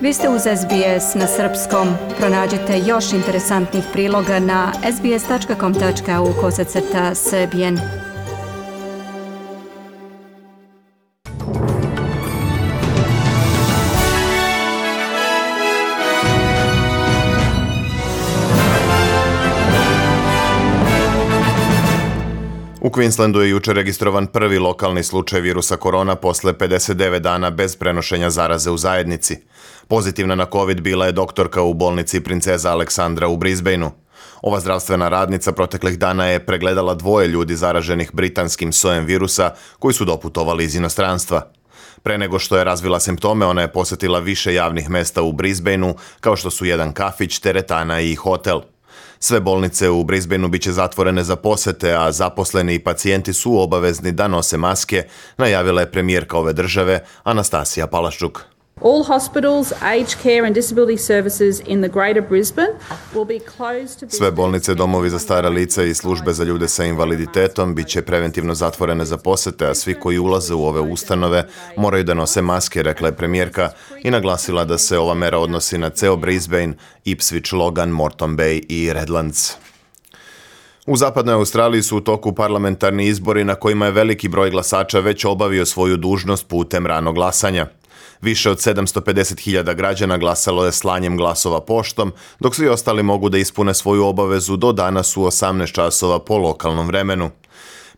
Vi ste uz SBS na srpskom. Pronađite još interesantnih priloga na sbs.com.au/srbijen. U Queenslandu je jučer registrovan prvi lokalni slučaj virusa korona posle 59 dana bez prenošenja zaraze u zajednici. Pozitivna na COVID bila je doktorka u bolnici Princeza Aleksandra u Brisbaneu. Ova zdravstvena radnica proteklih dana je pregledala 2 ljudi zaraženih britanskim sojem virusa koji su doputovali iz inostranstva. Pre nego što je razvila simptome, ona je posetila više javnih mesta u Brisbaneu, kao što su jedan kafić, teretana i hotel. Sve bolnice u Brisbaneu biće zatvorene za posete, a zaposleni i pacijenti su obavezni da nose maske, najavila je premijerka ove države Anastasija Palaščuk. All hospitals, aged care and disability services in the Greater Brisbane will be closed to visitors. Sve bolnice, domovi za stara lica i službe za ljude sa invaliditetom biće preventivno zatvorene za posete, a svi koji ulaze u ove ustanove moraju da nose maske, rekla je premijerka i naglasila da se ova mera odnosi na ceo Brisbane, Ipswich, Logan, Moreton Bay i Redlands. U zapadnoj Australiji su u toku parlamentarni izbori na kojima je veliki broj glasača već obavio svoju dužnost putem ranog glasanja. Više od 750.000 građana glasalo je slanjem glasova poštom, dok svi ostali mogu da ispune svoju obavezu do danas u 18 časova po lokalnom vremenu.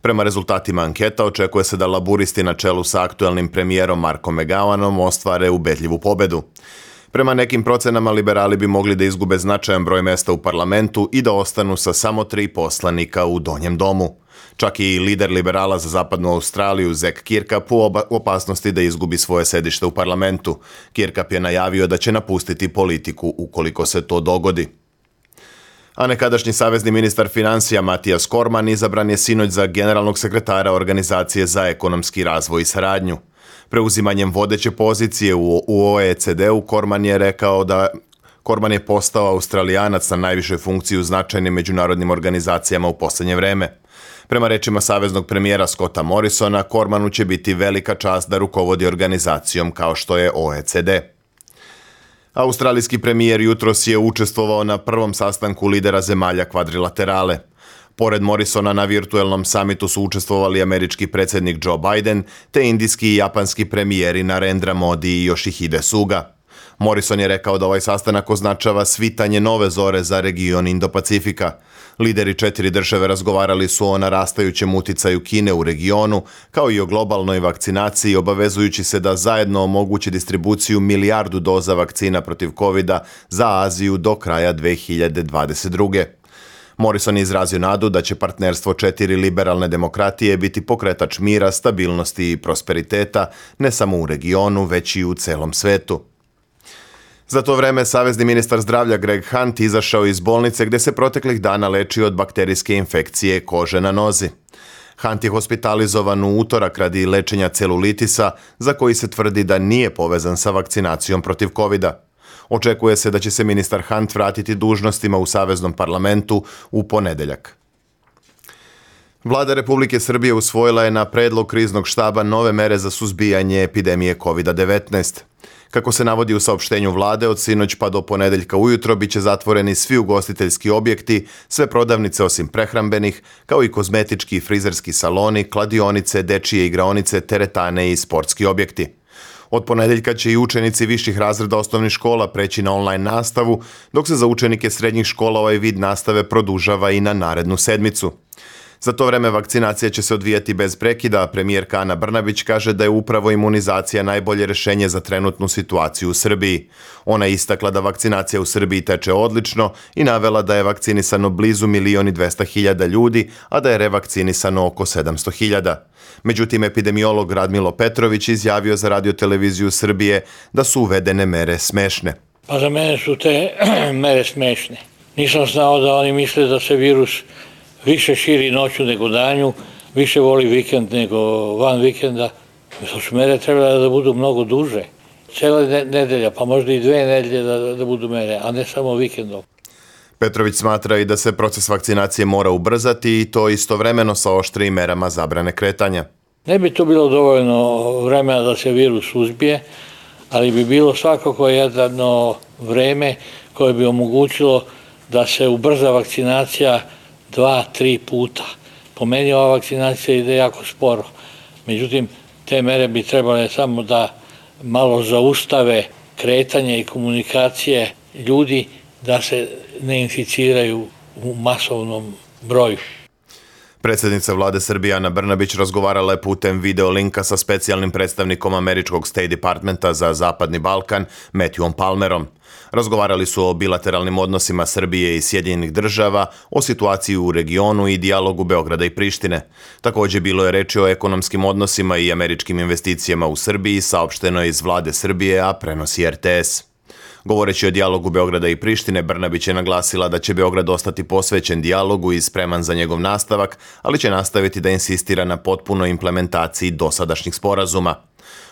Prema rezultatima anketa očekuje se da laburisti na čelu sa aktuelnim premijerom Markom McGowanom ostvare ubedljivu pobedu. Prema nekim procenama liberali bi mogli da izgube značajan broj mesta u parlamentu i da ostanu sa samo 3 poslanika u donjem domu. Čak i lider liberala za zapadnu Australiju, Zac Kirkup, u opasnosti da izgubi svoje sedište u parlamentu. Kirkup je najavio da će napustiti politiku ukoliko se to dogodi. A nekadašnji savezni ministar financija Mathias Cormann izabran je sinoć za generalnog sekretara Organizacije za ekonomski razvoj i saradnju. Preuzimanjem vodeće pozicije u OECD-u Cormann je postao Australijanac na najvišoj funkciji u značajnim međunarodnim organizacijama u posljednje vreme. Prema rečima saveznog premijera Scotta Morrisona, Cormannu će biti velika čast da rukovodi organizacijom kao što je OECD. Australijski premijer jutros je učestvovao na prvom sastanku lidera zemalja kvadrilaterale. Pored Morrisona na virtuelnom samitu su učestvovali američki predsjednik Joe Biden te indijski i japanski premijeri Narendra Modi i Yoshihide Suga. Morrison je rekao da ovaj sastanak označava svitanje nove zore za region Indo-Pacifika. Lideri 4 države razgovarali su o narastajućem uticaju Kine u regionu, kao i o globalnoj vakcinaciji, obavezujući se da zajedno omogući distribuciju 1 milijardu doza vakcina protiv COVID-a za Aziju do kraja 2022. Morrison je izrazio nadu da će partnerstvo 4 liberalne demokratije biti pokretač mira, stabilnosti i prosperiteta, ne samo u regionu, već i u celom svetu. Za to vreme savezni ministar zdravlja Greg Hunt izašao iz bolnice gdje se proteklih dana lečio od bakterijske infekcije kože na nozi. Hunt je hospitalizovan u utorak radi lečenja celulitisa, za koji se tvrdi da nije povezan sa vakcinacijom protiv COVID-a. Očekuje se da će se ministar Hunt vratiti dužnostima u Saveznom parlamentu u ponedeljak. Vlada Republike Srbije usvojila je na predlog kriznog štaba nove mere za suzbijanje epidemije COVID-19. Kako se navodi u saopštenju vlade, od sinoć pa do ponedeljka ujutro biće zatvoreni svi ugostiteljski objekti, sve prodavnice osim prehrambenih, kao i kozmetički i frizerski saloni, kladionice, dečije igraonice, teretane i sportski objekti. Od ponedeljka će i učenici viših razreda osnovnih škola preći na online nastavu, dok se za učenike srednjih škola ovaj vid nastave produžava i na narednu sedmicu. Za to vreme vakcinacija će se odvijati bez prekida, a premijerka Ana Brnabić kaže da je upravo imunizacija najbolje rješenje za trenutnu situaciju u Srbiji. Ona je istakla da vakcinacija u Srbiji teče odlično i navela da je vakcinisano blizu 1.200.000 ljudi, a da je revakcinisano oko 700.000. Međutim, epidemiolog Radmilo Petrović izjavio za Radio-televiziju Srbije da su uvedene mere smešne. Pa za mene su te mere smešne. Nisam znao da oni misle da se virus više širi noću nego danju, više voli vikend nego van vikenda. To su mere trebale da budu mnogo duže. Cijela nedelja, pa možda i 2 nedelje da budu mere, a ne samo vikendom. Petrović smatra i da se proces vakcinacije mora ubrzati i to istovremeno sa oštrijim merama zabrane kretanja. Ne bi to bilo dovoljno vremena da se virus suzbije, ali bi bilo svakako jedno vreme koje bi omogućilo da se ubrza vakcinacija 2-3 puta. Po meni ova vakcinacija ide jako sporo. Međutim, te mere bi trebale samo da malo zaustave kretanje i komunikacije ljudi da se ne inficiraju u masovnom broju. Predsjednica vlade Srbije Ana Brnabić razgovarala je putem video linka sa specijalnim predstavnikom američkog State Departmenta za Zapadni Balkan, Matthewom Palmerom. Razgovarali su o bilateralnim odnosima Srbije i Sjedinjenih država, o situaciji u regionu i dijalogu Beograda i Prištine. Također bilo je reči o ekonomskim odnosima i američkim investicijama u Srbiji, saopšteno je iz vlade Srbije, a prenosi RTS. Govoreći o dijalogu Beograda i Prištine, Brnabić je naglasila da će Beograd ostati posvećen dijalogu i spreman za njegov nastavak, ali će nastaviti da insistira na potpunoj implementaciji dosadašnjih sporazuma.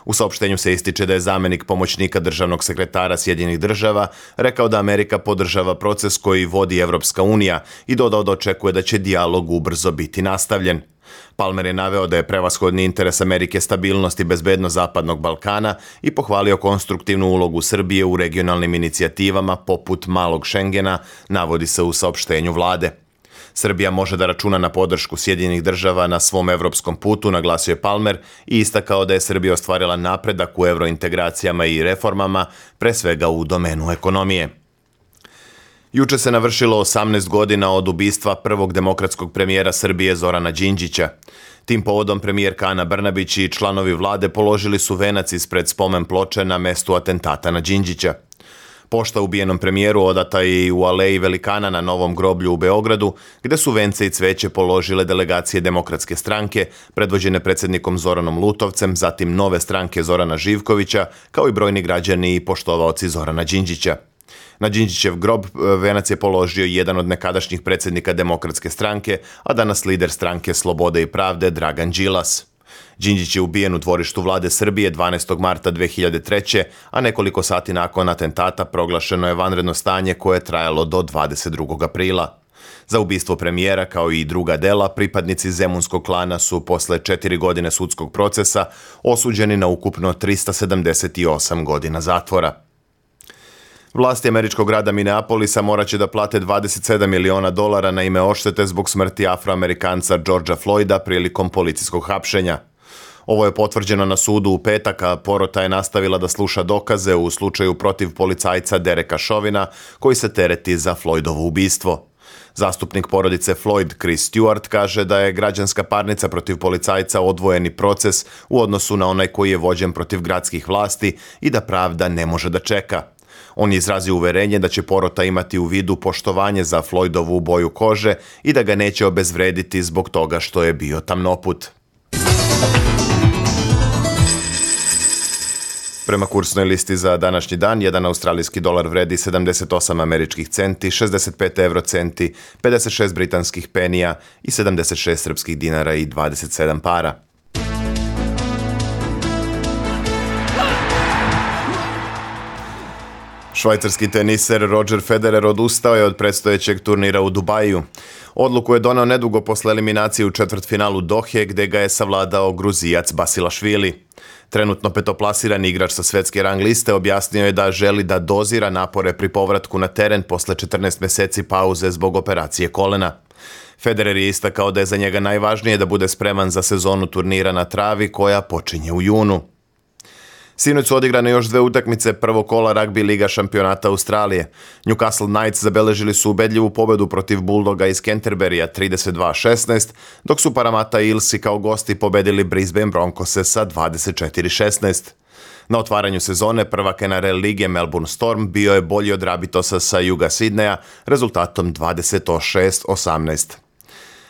U saopštenju se ističe da je zamjenik pomoćnika državnog sekretara Sjedinjenih država rekao da Amerika podržava proces koji vodi Evropska unija i dodao da očekuje da će dijalog ubrzo biti nastavljen. Palmer je naveo da je prevashodni interes Amerike stabilnost i bezbednost Zapadnog Balkana i pohvalio konstruktivnu ulogu Srbije u regionalnim inicijativama poput Malog Šengena, navodi se u saopštenju vlade. Srbija može da računa na podršku Sjedinjenih država na svom evropskom putu, naglasio je Palmer i istakao da je Srbija ostvarila napredak u evrointegracijama i reformama, pre svega u domenu ekonomije. Juče se navršilo 18 godina od ubistva prvog demokratskog premijera Srbije Zorana Đinđića. Tim povodom premijerka Ana Brnabić i članovi vlade položili su venac ispred spomen ploče na mestu atentata na Đinđića. Pošta ubijenom premijeru odata je i u Aleji Velikana na Novom groblju u Beogradu, gde su vence i cveće položile delegacije Demokratske stranke, predvođene predsjednikom Zoranom Lutovcem, zatim Nove stranke Zorana Živkovića, kao i brojni građani i poštovaoci Zorana Đinđića. Na Đinđićev grob venac je položio jedan od nekadašnjih predsjednika Demokratske stranke, a danas lider stranke Slobode i pravde Dragan Đilas. Đinđić je ubijen u dvorištu vlade Srbije 12. marta 2003. a nekoliko sati nakon atentata proglašeno je vanredno stanje koje je trajalo do 22. aprila. Za ubistvo premijera kao i druga dela pripadnici zemunskog klana su posle 4 godine sudskog procesa osuđeni na ukupno 378 godina zatvora. Vlasti američkog grada Minneapolisa morat će da plate $27 miliona na ime odštete zbog smrti Afroamerikanca Georgea Floyda prilikom policijskog hapšenja. Ovo je potvrđeno na sudu u petak, a porota je nastavila da sluša dokaze u slučaju protiv policajca Dereka Chauvina, koji se tereti za Floydovo ubistvo. Zastupnik porodice Floyd, Chris Stewart, kaže da je građanska parnica protiv policajca odvojeni proces u odnosu na onaj koji je vođen protiv gradskih vlasti i da pravda ne može da čeka. On je izrazio uverenje da će porota imati u vidu poštovanje za Floydovu boju kože i da ga neće obezvrediti zbog toga što je bio tamnoput. Prema kursnoj listi za današnji dan, jedan australijski dolar vredi 78 američkih centi, 65 eurocenti, 56 britanskih penija i 76 srpskih dinara i 27 para. Švajcarski teniser Roger Federer odustao je od predstojećeg turnira u Dubaju. Odluku je doneo nedugo posle eliminacije u četvrtfinalu Dohe, gde ga je savladao Gruzijac Basilašvili. Trenutno petoplasirani igrač sa svetske rang liste objasnio je da želi da dozira napore pri povratku na teren posle 14 meseci pauze zbog operacije kolena. Federer je istakao da je za njega najvažnije da bude spreman za sezonu turnira na travi koja počinje u junu. Sinoć su odigrane još 2 utakmice prvog kola ragbi liga šampionata Australije. Newcastle Knights zabeležili su ubedljivu pobedu protiv Bulldoga iz Canterburya 32-16, dok su Parramatta Eelsi kao gosti pobedili Brisbane Broncose sa 24-16. Na otvaranju sezone prvak NRL lige Melbourne Storm bio je bolji od Rabitosa sa juga Sidneja rezultatom 26-18.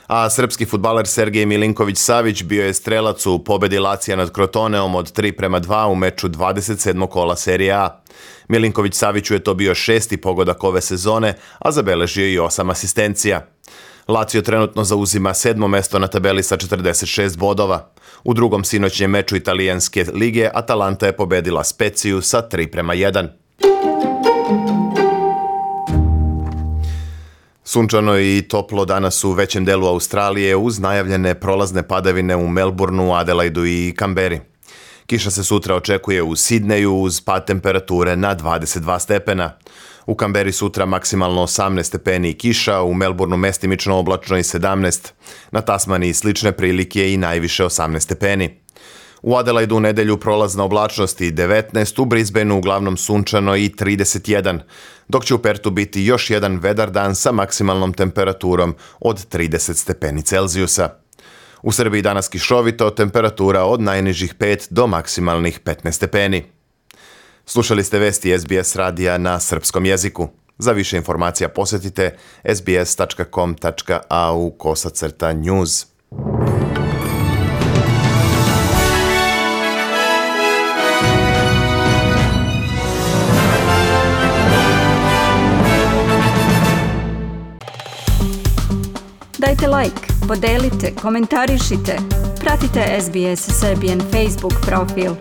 A srpski fudbaler Sergej Milinković-Savić bio je strelac u pobedi Lacija nad Crotoneom od 3-2 u meču 27. kola Serije A. Milinković-Saviću je to bio 6. pogodak ove sezone, a zabeležio i 8 asistencija. Lazio trenutno zauzima 7. mesto na tabeli sa 46 bodova. U drugom sinoćnjem meču italijanske lige Atalanta je pobedila Speziju sa 3-1. Sunčano i toplo danas u većem delu Australije uz najavljene prolazne padavine u Melbourneu, Adelaidu i Kamberi. Kiša se sutra očekuje u Sidneju uz pad temperature na 22 stepena. U Kamberi sutra maksimalno 18 stepeni i kiša, u Melbourneu mestimično oblačno i 17. Na Tasmaniji slične prilike i najviše 18 stepeni. U Adelaidu u nedelju prolazna oblačnost i 19, u Brisbaneu uglavnom sunčano i 31, dok će u Pertu biti još jedan vedar dan sa maksimalnom temperaturom od 30 stepeni Celzijusa. U Srbiji danas kišovito, temperatura od najnižih 5 do maksimalnih 15 stepeni. Slušali ste vesti SBS radija na srpskom jeziku. Za više informacija posjetite sbs.com.au/news. Dajte like, podelite, komentarišite. Pratite SBS Serbian Facebook profil.